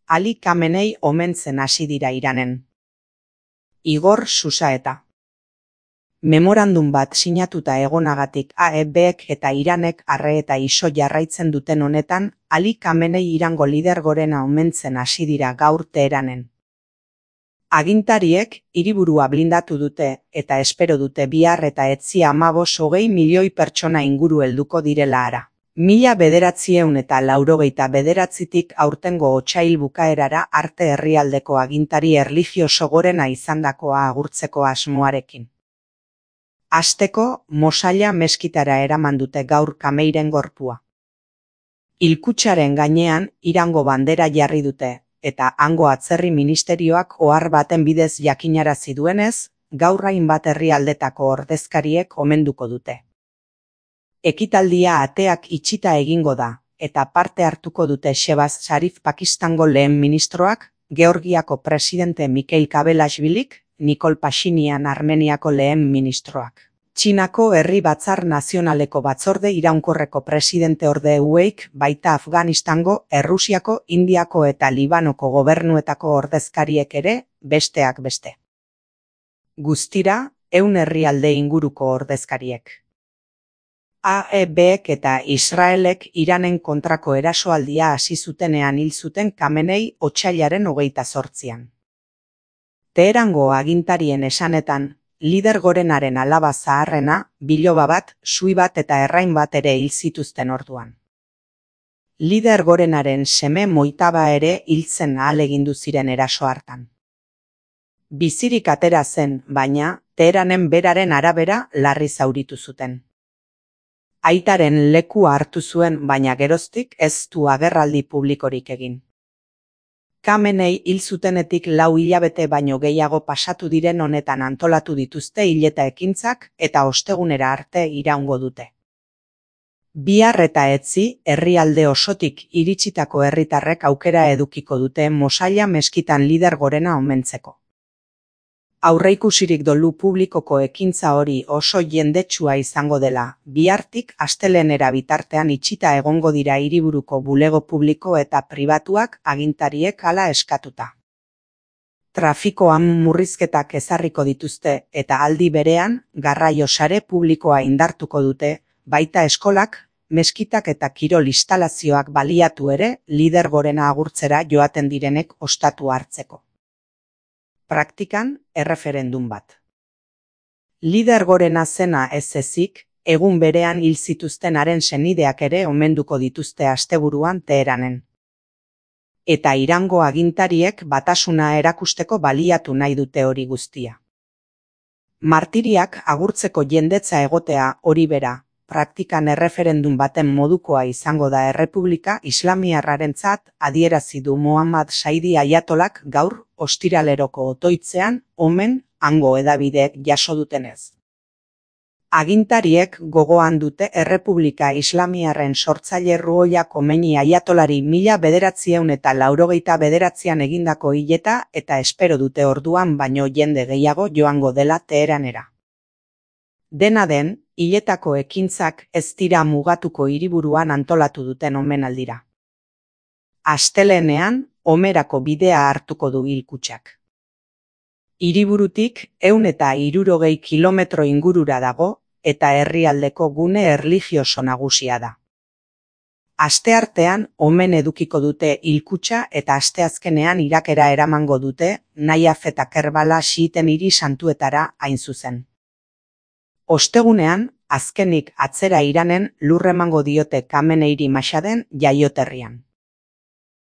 Ali Khamenei omentzen hasi dira Iranen. Igor Susaeta. Memorandum bat sinatuta egonagatik AEBek eta Iranek arre eta iso jarraitzen duten honetan, Ali Khamenei Irango lider gorena omentzen hasi dira gaur Teheranen. Agintariek hiriburua blindatu dute eta espero dute bihar eta etzi 15-20 milioi pertsona inguru helduko direla hara. 1989tik aurtengo otsail bukaerara arte herrialdeko agintari erlijioso gorena izandakoa agurtzeko asmoarekin. Hasteko, Mosalla meskitara eraman dute gaur Khameiren gorpua. Hilkutxaren gainean Irango bandera jarri dute, eta hango atzerri ministerioak ohar baten bidez jakinarazi duenez, gaur hainbat herrialdetako ordezkariek omenduko dute. Ekitaldia ateak itxita egingo da, eta parte hartuko dute Shehbaz Sharif Pakistango lehen ministroak, Georgiako presidente Mikhail Kavelashvilik, Nikol Pashinyan Armeniako lehen ministroak. Txinako Herri Batzar Nazionaleko Batzorde Iraunkorreko presidente orde ueik, baita Afganistango, Errusiako, Indiako eta Libanoko gobernuetako ordezkariek ere, besteak beste. Guztira, 100 herrialde inguruko ordezkariek. AEBek eta Israelek Iranen kontrako erasoaldia hasi zutenean hil zuten Khamenei otsailaren 28an. Teherango agintarien esanetan, lider gorenaren alaba zaharrena, biloba bat, sui bat eta errain bat ere hil zituzten orduan. Lider gorenaren seme Moitaba ere hiltzen ahalegindu ziren eraso hartan. Bizirik atera zen, baina, Teheranen beraren arabera larri zauritu zuten. Aitaren lekua hartu zuen, baina geroztik ez du agerraldi publikorik egin. Khamenei hil zutenetik 4 hilabete baino gehiago pasatu diren honetan antolatu dituzte hileta ekintzak eta ostegunera arte iraungo dute. Bihar eta etzi, herrialde osotik iritsitako herritarrek aukera edukiko dute Mosalla meskitan lider gorena omentzeko. Aurreikusirik dolu publikoko ekintza hori oso jendetsua izango dela, bihartik astelehenera bitartean itxita egongo dira hiriburuko bulego publiko eta pribatuak agintariek hala eskatuta. Trafikoan murrizketak ezarriko dituzte eta aldi berean garraio sare publikoa indartuko dute, baita eskolak, meskitak eta kirol instalazioak baliatu ere lider gorena agurtzera joaten direnek ostatu hartzeko. Praktikan, erreferendum bat. Lider gorena zena ez ezik, egun berean hil zituztenaren senideak ere omenduko dituzte asteburuan Teheranen. Eta Irango agintariek batasuna erakusteko baliatu nahi dute hori guztia. Martiriak agurtzeko jendetza egotea hori bera, praktikan erreferendum baten modukoa izango da Errepublika Islamiarrarentzat adierazi du Mohammad Saidi Ayatolak gaur ostiraleroko otoitzean omen hango hedabideek jaso dutenez. Agintariek gogoan dute Errepublika Islamiarren sortzaile Ruhollah Khomeini Ayatolari 1989an egindako hileta eta espero dute orduan baino jende gehiago joango dela Teheranera. Dena den, hiletako ekintzak ez dira mugatuko hiriburuan antolatu duten omenaldira. Astelehenean, Homerako bidea hartuko du hilkutxak. Hiriburutik 160 kilometro ingurura dago eta herrialdeko gune erlijioso nagusia da. Asteartean omen edukiko dute hilkutxa eta asteazkenean Irakera eramango dute Najaf eta Kerbala xiiten hiri santuetara hain zuzen. Ostegunean, azkenik atzera Iranen lur emango diote Khameneiri Mashaden jaioterrian.